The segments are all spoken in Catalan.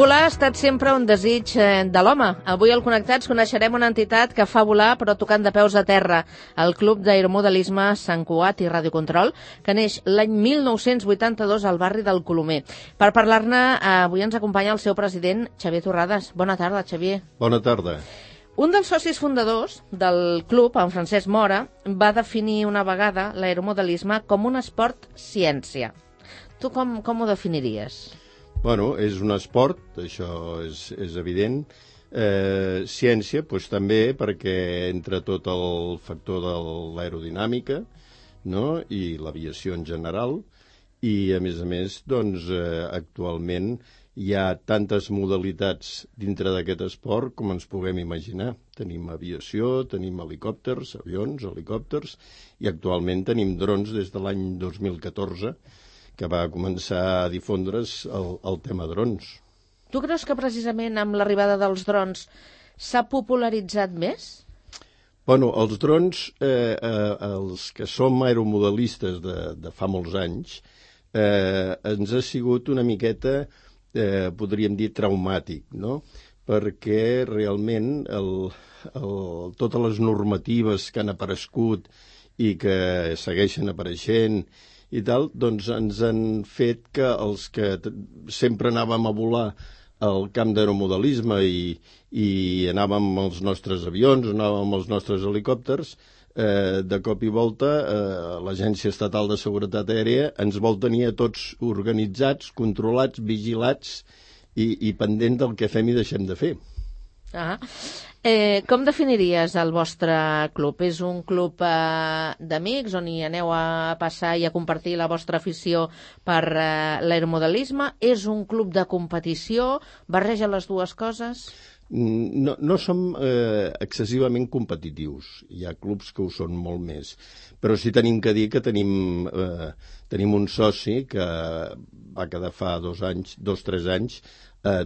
Volar ha estat sempre un desig de l'home. Avui al Connectats coneixerem una entitat que fa volar però tocant de peus a terra, el Club d'Aeromodelisme Sant Cugat i Radiocontrol, que neix l'any 1982 al barri del Colomer. Per parlar-ne, avui ens acompanya el seu president, Xavier Torrades. Bona tarda, Xavier. Bona tarda. Un dels socis fundadors del club, en Francesc Mora, va definir una vegada l'aeromodelisme com un esport ciència. Tu com ho definiries? Bueno, és un esport, això és evident. Ciència, doncs també perquè entra tot el factor de l'aerodinàmica, no? I l'aviació en general. I, a més, doncs, actualment hi ha tantes modalitats dintre d'aquest esport com ens puguem imaginar. Tenim aviació, tenim helicòpters, avions, helicòpters, i actualment tenim drons des de l'any 2014, que va començar a difondre's el tema drons. Tu creus que precisament amb l'arribada dels drons s'ha popularitzat més? Bueno, els drons, els que som aeromodelistes de fa molts anys, ens ha sigut una miqueta, podríem dir, traumàtic, no? Perquè realment totes les normatives que han aparegut i que segueixen apareixent i tal, doncs ens han fet que els que sempre anàvem a volar al camp d'aeromodelisme i anàvem amb els nostres avions, anàvem amb els nostres helicòpters, de cop i volta l'Agència Estatal de Seguretat Aèria ens vol tenir a tots organitzats, controlats, vigilats i pendents del que fem i deixem de fer. Com definiries el vostre club? És un club d'amics on hi aneu a passar i a compartir la vostra afició per l'aeromodelisme? És un club de competició? Barreja les dues coses? No som excessivament competitius. Hi ha clubs que ho són molt més. Però sí tenim que dir que tenim un soci que va quedar fa 2 o 3 anys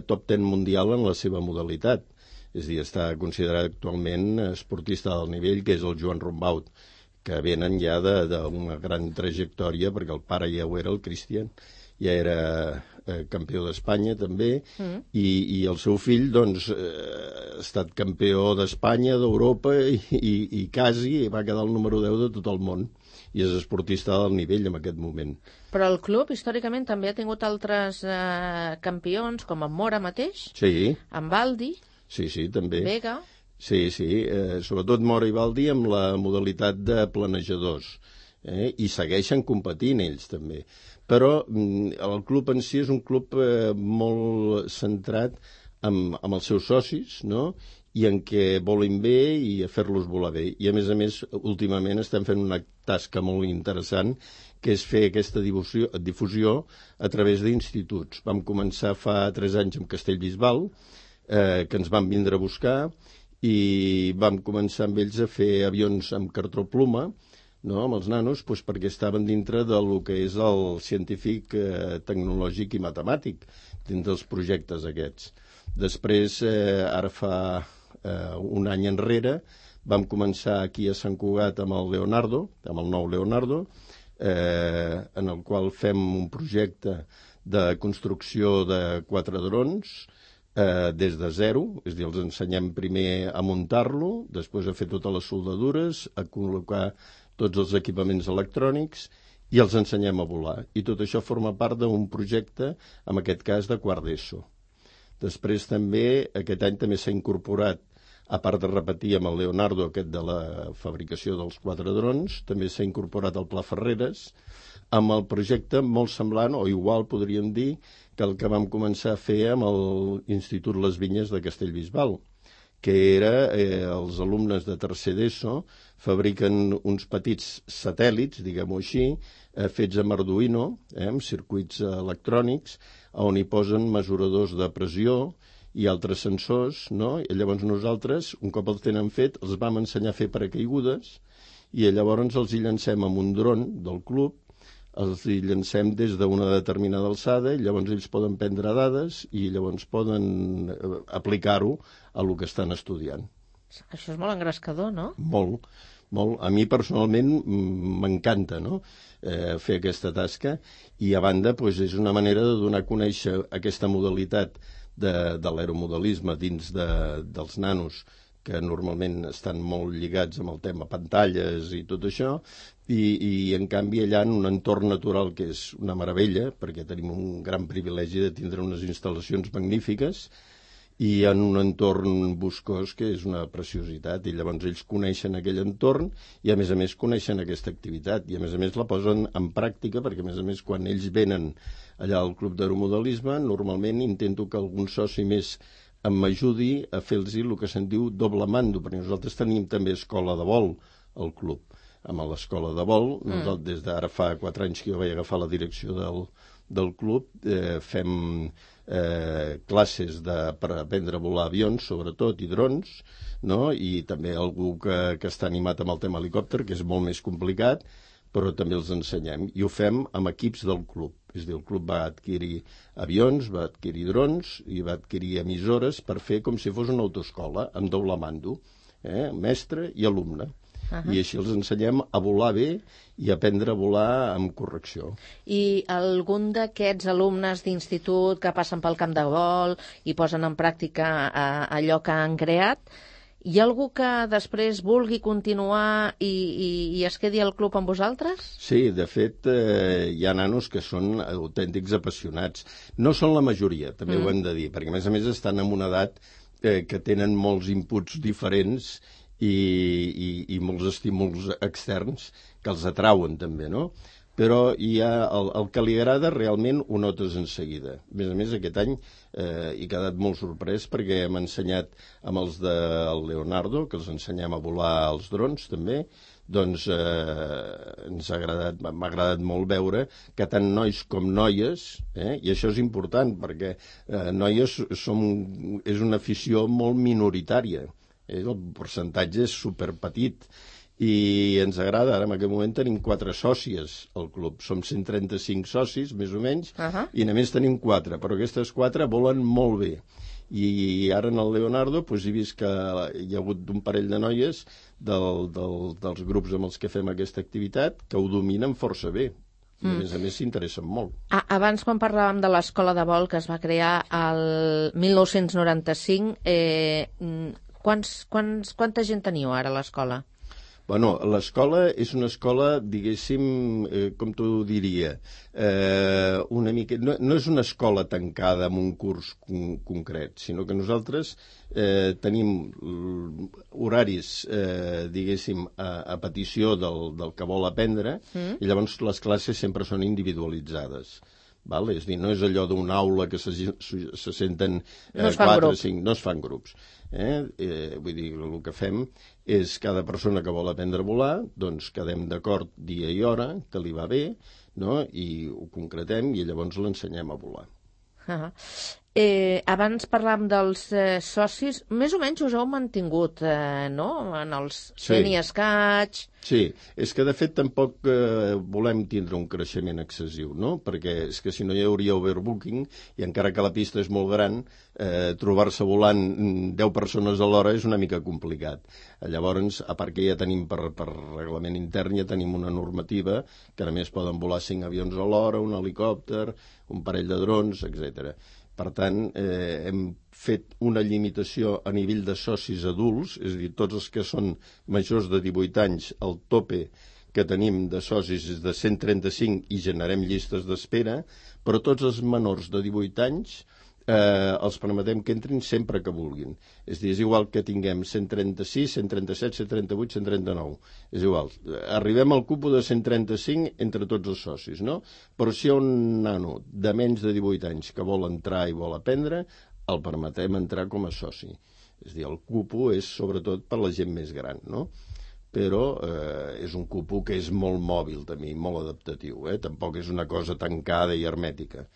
top 10 mundial en la seva modalitat. És a dir, està considerat actualment esportista del nivell, que és el Joan Rombaut, que venen ja d'una gran trajectòria, perquè el pare ja ho era, el Cristian, ja era campió d'Espanya també, i el seu fill doncs, ha estat campió d'Espanya, d'Europa, i quasi va quedar el número 10 de tot el món, i és esportista del nivell en aquest moment. Però el club, històricament, també ha tingut altres campions, com en Mora mateix, en Baldi... Sí, també. Vega. Sí, sobretot Mora i Baldi amb la modalitat de planejadors. I segueixen competint ells, també. Però el club en si és un club molt centrat amb els seus socis, no? I en què volen bé i a fer-los volar bé. I, a més, últimament estem fent una tasca molt interessant, que és fer aquesta difusió a través d'instituts. Vam començar fa 3 anys amb Castellbisbal, que ens van vindre a buscar, i vam començar amb ells a fer avions amb cartró ploma, no? Amb els nanos, doncs perquè estaven dintre del que és el científic, tecnològic i matemàtic, dins dels projectes aquests. Després, ara fa 1 any enrere, vam començar aquí a Sant Cugat amb el Leonardo, amb el nou Leonardo, en el qual fem un projecte de construcció de 4 drons, des de zero, és a dir, els ensenyem primer a muntar-lo, després a fer totes les soldadures, a col·locar tots els equipaments electrònics i els ensenyem a volar. I tot això forma part d'un projecte, en aquest cas, de quart d'ESO. Després també, aquest any també s'ha incorporat, a part de repetir amb el Leonardo aquest de la fabricació dels 4 drons, també s'ha incorporat el Pla Ferreres, amb el projecte molt semblant, o igual podríem dir, que el que vam començar a fer amb l'Institut Les Vinyes de Castellbisbal, que era els alumnes de tercer d'ESO fabriquen uns petits satèl·lits, diguem-ho així, fets amb Arduino, amb circuits electrònics, on hi posen mesuradors de pressió i altres sensors, no? I llavors nosaltres, un cop els tenen fet, els vam ensenyar a fer paracaigudes i llavors els hi llancem amb un dron del club, els hi llancem des d'una determinada alçada i llavors ells poden prendre dades i llavors poden aplicar-ho a el que estan estudiant. Això és molt engrescador, no? Molt. A mi personalment m'encanta, no? Fer aquesta tasca i a banda és una manera de donar a conèixer aquesta modalitat de l'aeromodelisme dins dels nanos, que normalment estan molt lligats amb el tema pantalles i tot això, i en canvi allà en un entorn natural que és una meravella, perquè tenim un gran privilegi de tindre unes instal·lacions magnífiques, i en un entorn boscós que és una preciositat, i llavors ells coneixen aquell entorn i a més coneixen aquesta activitat, i a més la posen en pràctica, perquè a més quan ells venen allà al club d'aeromodelisme, normalment intento que algun soci més m'ajudi a fer-los el que se'n diu doble mando, perquè nosaltres tenim també escola de vol al club. Amb l'escola de vol, nosaltres des d'ara fa 4 anys que jo vaig agafar la direcció del club, fem classes per aprendre a volar avions, sobretot, i drons, no? I també algú que està animat amb el tema helicòpter, que és molt més complicat, però també els ensenyem. I ho fem amb equips del club. És a dir, el club va adquirir avions, va adquirir drons i va adquirir emissores per fer com si fos una autoescola, amb doble mando, mestre i alumne. I així els ensenyem a volar bé i aprendre a volar amb correcció. I algun d'aquests alumnes d'institut que passen pel camp de vol i posen en pràctica allò que han creat, hi ha algú que després vulgui continuar i es quedi al club amb vosaltres? Sí, de fet, hi ha nanos que són autèntics apassionats. No són la majoria, també ho hem de dir, perquè a més estan en una edat que tenen molts inputs diferents i molts estímuls externs que els atrauen també, no? Però hi ha el que li agrada realment ho notes en seguida. A més aquest any he quedat molt sorprès perquè hem ensenyat amb els del Leonardo, que els ensenyem a volar els drons també, doncs m'ha agradat molt veure que tant nois com noies, i això és important perquè noies és una afició molt minoritària, el percentatge és superpetit, i ens agrada. Ara en aquest moment tenim 4 sòcies al club, som 135 socis més o menys, i només tenim 4, però aquestes 4 volen molt bé, i ara en el Leonardo he vist que hi ha hagut un parell de noies dels grups amb els que fem aquesta activitat que ho dominen força bé. A més s'interessen molt. Abans, quan parlàvem de l'escola de vol que es va crear el 1995, quanta gent teniu ara a l'escola? Bueno, l'escola és una escola, diguéssim, com t'ho diria, una mica... No és una escola tancada amb un curs concret, sinó que nosaltres tenim horaris, diguéssim, a petició del que vol aprendre, i llavors les classes sempre són individualitzades. És a dir, no és allò d'una aula que se senten 4 o 5, no es fan grups. Vull dir, el que fem és cada persona que vol aprendre a volar, doncs quedem d'acord dia i hora, que li va bé, no? I ho concretem i llavors l'ensenyem a volar. Abans parlàvem dels socis, més o menys us heu mantingut, no?, en els fent i escaig. Sí, és que de fet tampoc volem tindre un creixement excessiu, no? Perquè és que si no hi hauria overbooking, i encara que la pista és molt gran, trobar-se volant 10 persones a l'hora és una mica complicat. Llavors, a part que ja tenim per reglament intern, ja tenim una normativa que a més poden volar 5 avions a l'hora, un helicòpter, un parell de drons, etc. Per tant, hem fet una limitació a nivell de socis adults, és a dir, tots els que són majors de 18 anys, el tope que tenim de socis és de 135 i generem llistes d'espera, però tots els menors de 18 anys els permetem que entrin sempre que vulguin. És a dir, és igual que tinguem 136, 137, 138, 139. És igual. Arribem al cupo de 135 entre tots els socis, no? Però si hi ha un nano de menys de 18 anys que vol entrar i vol aprendre, el permetem entrar com a soci. És a dir, el cupo és sobretot per la gent més gran, no? Però és un cupo que és molt mòbil també, molt adaptatiu. Tampoc és una cosa tancada i hermètica.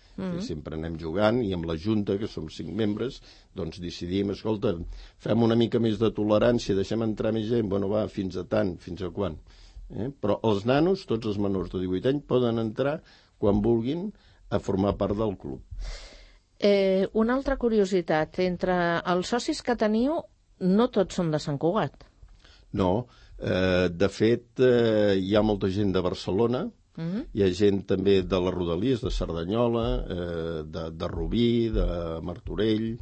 Sempre anem jugant i amb la Junta, que som 5 membres, doncs decidim, escolta, fem una mica més de tolerància, deixem entrar més gent, bueno, va, fins a tant, fins a quan. Però els nanos, tots els menors de 18 anys, poden entrar quan vulguin a formar part del club. Una altra curiositat, entre els socis que teniu, no tots són de Sant Cugat. No, de fet, hi ha molta gent de Barcelona, Hi ha gent també de les Rodalies, de Cerdanyola, de Rubí, de Martorell,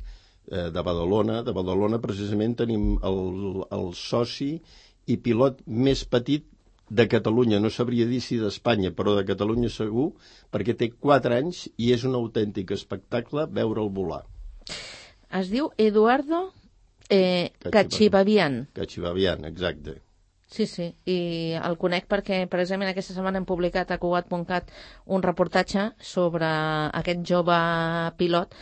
de Badalona. De Badalona, precisament, tenim el soci i pilot més petit de Catalunya. No sabria dir si d'Espanya, però de Catalunya segur, perquè té 4 anys i és un autèntic espectacle veure'l volar. Es diu Eduardo Cachibabian. Cachibabian, exacte. Sí, i el conec perquè precisament aquesta setmana hem publicat a Cugat.cat un reportatge sobre aquest jove pilot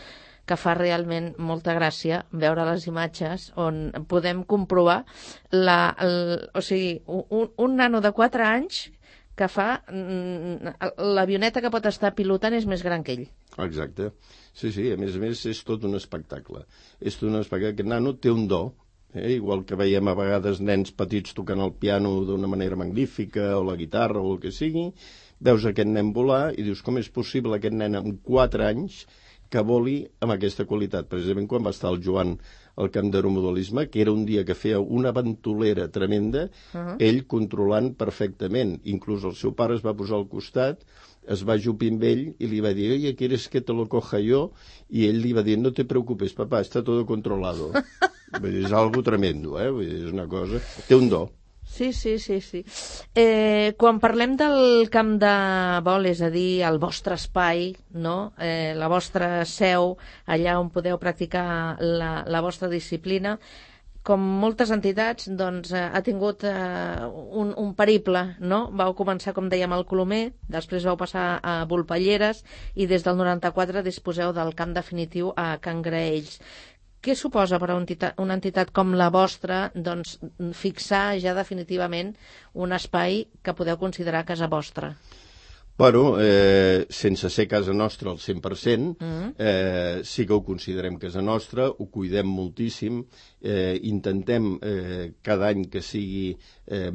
que fa realment molta gràcia veure les imatges on podem comprovar un nano de 4 anys que fa l'avioneta que pot estar pilotant és més gran que ell. Exacte. Sí, a més és tot un espectacle. És tot un espectacle. Aquest nano té un do, igual que veiem a vegades nens petits tocant el piano d'una manera magnífica, o la guitarra, o el que sigui, veus aquest nen volar i dius com és possible aquest nen amb 4 anys que voli amb aquesta qualitat. Precisament quan va estar el Joan al camp d'aeromodelisme, que era un dia que feia una ventolera tremenda, ell controlant perfectament. Inclús el seu pare es va posar al costat, es va ajupir amb ell i li va dir, oye, ¿quieres que te lo coja yo? I ell li va dir, no te preocupes, papá, está todo controlado. És algo tremendo, és una cosa... Té un do. Sí. Quan parlem del camp de vol, és a dir, el vostre espai, no? La vostra seu, allà on podeu practicar la vostra disciplina, com moltes entitats, doncs, ha tingut un periple, no? Vau començar, com dèiem, al Colomer, després vau passar a Volpelleres i des del 94 disposeu del camp definitiu a Can Graells. Què suposa per a una entitat com la vostra doncs, fixar ja definitivament un espai que podeu considerar casa vostra? Bueno, sense ser casa nostra al 100%, sí que ho considerem casa nostra, ho cuidem moltíssim, intentem cada any que sigui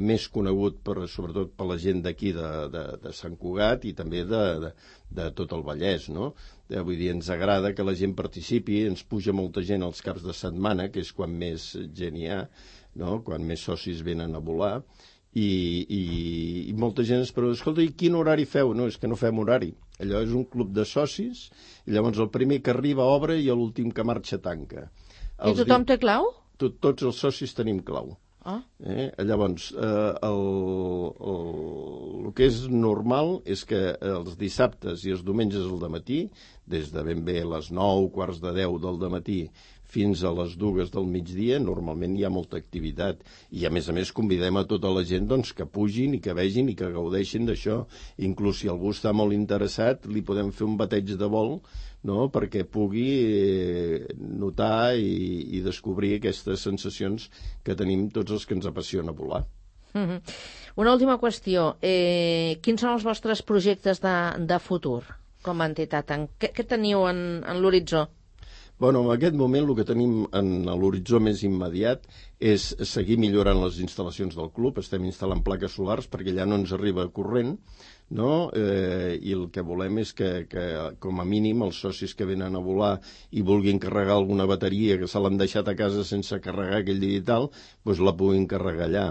més conegut sobretot per la gent d'aquí de Sant Cugat i també de tot el Vallès, no? Vull dir, ens agrada que la gent participi, ens puja molta gent als caps de setmana, que és quan més gent hi ha, no? Quan més socis venen a volar, i molta gent es pregunta, escolta, i quin horari feu? No, és que no fem horari. Allò és un club de socis, i llavors el primer que arriba obre i l'últim que marxa tanca. I tothom té clau? Tots els socis tenim clau. Llavors, el que és normal és que els dissabtes i els diumenges al dematí, des de ben bé les 9, quarts de 10 del dematí fins a les 2 del migdia, normalment hi ha molta activitat. I, a més, convidem a tota la gent doncs, que pugin i que vegin i que gaudeixin d'això. Inclús si algú està molt interessat, li podem fer un bateig de vol, no?, perquè pugui notar i descobrir aquestes sensacions que tenim tots els que ens apassiona volar. Una última qüestió. Quins són els vostres projectes de futur com a entitat? Què teniu en l'horitzó? Bueno, en aquest moment el que tenim en l'horitzó més immediat és seguir millorant les instal·lacions del club. Estem instal·lant plaques solars perquè allà no ens arriba corrent, no? I el que volem és que com a mínim els socis que venen a volar i vulguin carregar alguna bateria que se l'han deixat a casa sense carregar aquell dia i tal, doncs la puguin carregar allà.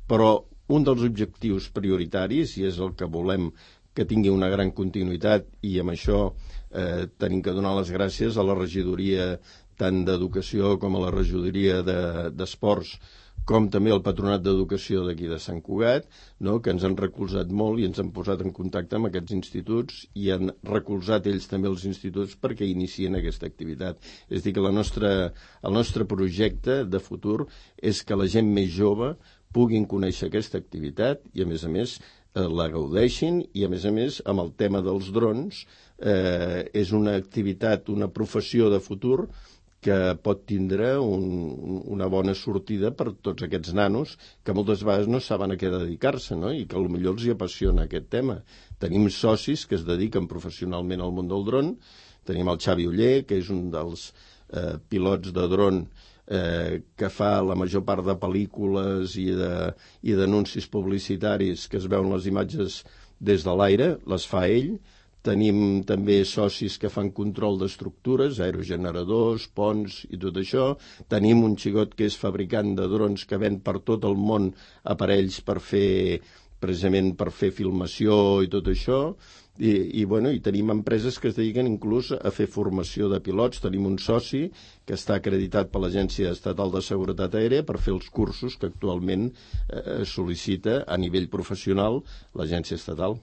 Però un dels objectius prioritaris, i és el que volem que tingui una gran continuïtat, i amb això tenim que donar les gràcies a la regidoria tant d'Educació com a la regidoria d'Esports, com també al Patronat d'Educació d'aquí de Sant Cugat, no?, que ens han recolzat molt i ens han posat en contacte amb aquests instituts i han recolzat ells també els instituts perquè inicien aquesta activitat. És a dir, que el nostre projecte de futur és que la gent més jove puguin conèixer aquesta activitat i, a més, la gaudeixin i, a més, amb el tema dels drons, és una activitat, una professió de futur que pot tindre una bona sortida per tots aquests nanos que moltes vegades no saben a què dedicar-se, no?, i que potser els hi apassiona aquest tema. Tenim socis que es dediquen professionalment al món del dron. Tenim el Xavi Oller, que és un dels pilots de dron que fa la major part de pel·lícules i d'anuncis publicitaris que es veuen les imatges des de l'aire, les fa ell. Tenim també socis que fan control d'estructures, aerogeneradors, ponts i tot això. Tenim un xicot que és fabricant de drons que ven per tot el món aparells per fer precisament per fer filmació i tot això, i tenim empreses que es dediquen inclús a fer formació de pilots. Tenim un soci que està acreditat per l'Agència Estatal de Seguretat Aèria per fer els cursos que actualment sol·licita a nivell professional l'Agència Estatal.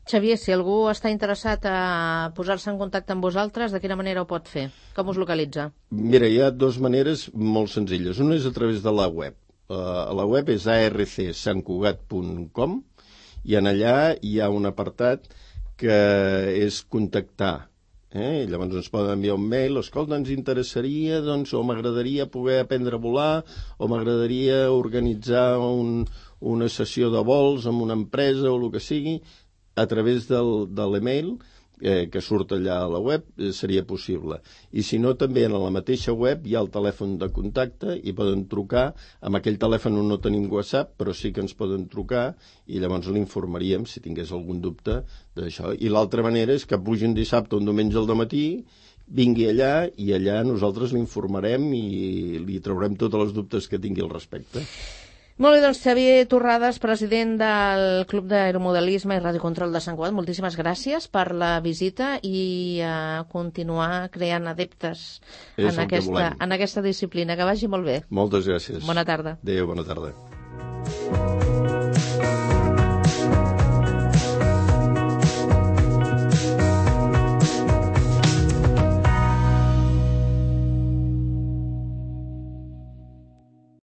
Xavier, si algú està interessat a posar-se en contacte amb vosaltres, de quina manera ho pot fer? Com us localitza? Mira, hi ha dues maneres molt senzilles. Una és a través de la web. La web és arcsantcugat.com i en allà hi ha un apartat que és contactar. Llavors ens poden enviar un mail, escolta, ens interessaria, o m'agradaria poder aprendre a volar, o m'agradaria organitzar una sessió de vols amb una empresa o el que sigui, a través de l'email que surt allà a la web seria possible. I si no, també en la mateixa web hi ha el telèfon de contacte i poden trucar. Amb aquell telèfon no tenim WhatsApp, però sí que ens poden trucar i llavors l'informaríem si tingués algun dubte d'això. I l'altra manera és que pugi un dissabte o un diumenge al dematí, vingui allà i allà nosaltres l'informarem i li traurem tots els dubtes que tingui al respecte. Molt bé, doncs Xavier Torrades, president del Club d'Aeromodelisme i Radiocontrol de Sant Cugat, moltíssimes gràcies per la visita i continuar creant adeptes en aquesta disciplina. Que vagi molt bé. Moltes gràcies. Bona tarda. Adéu, bona tarda.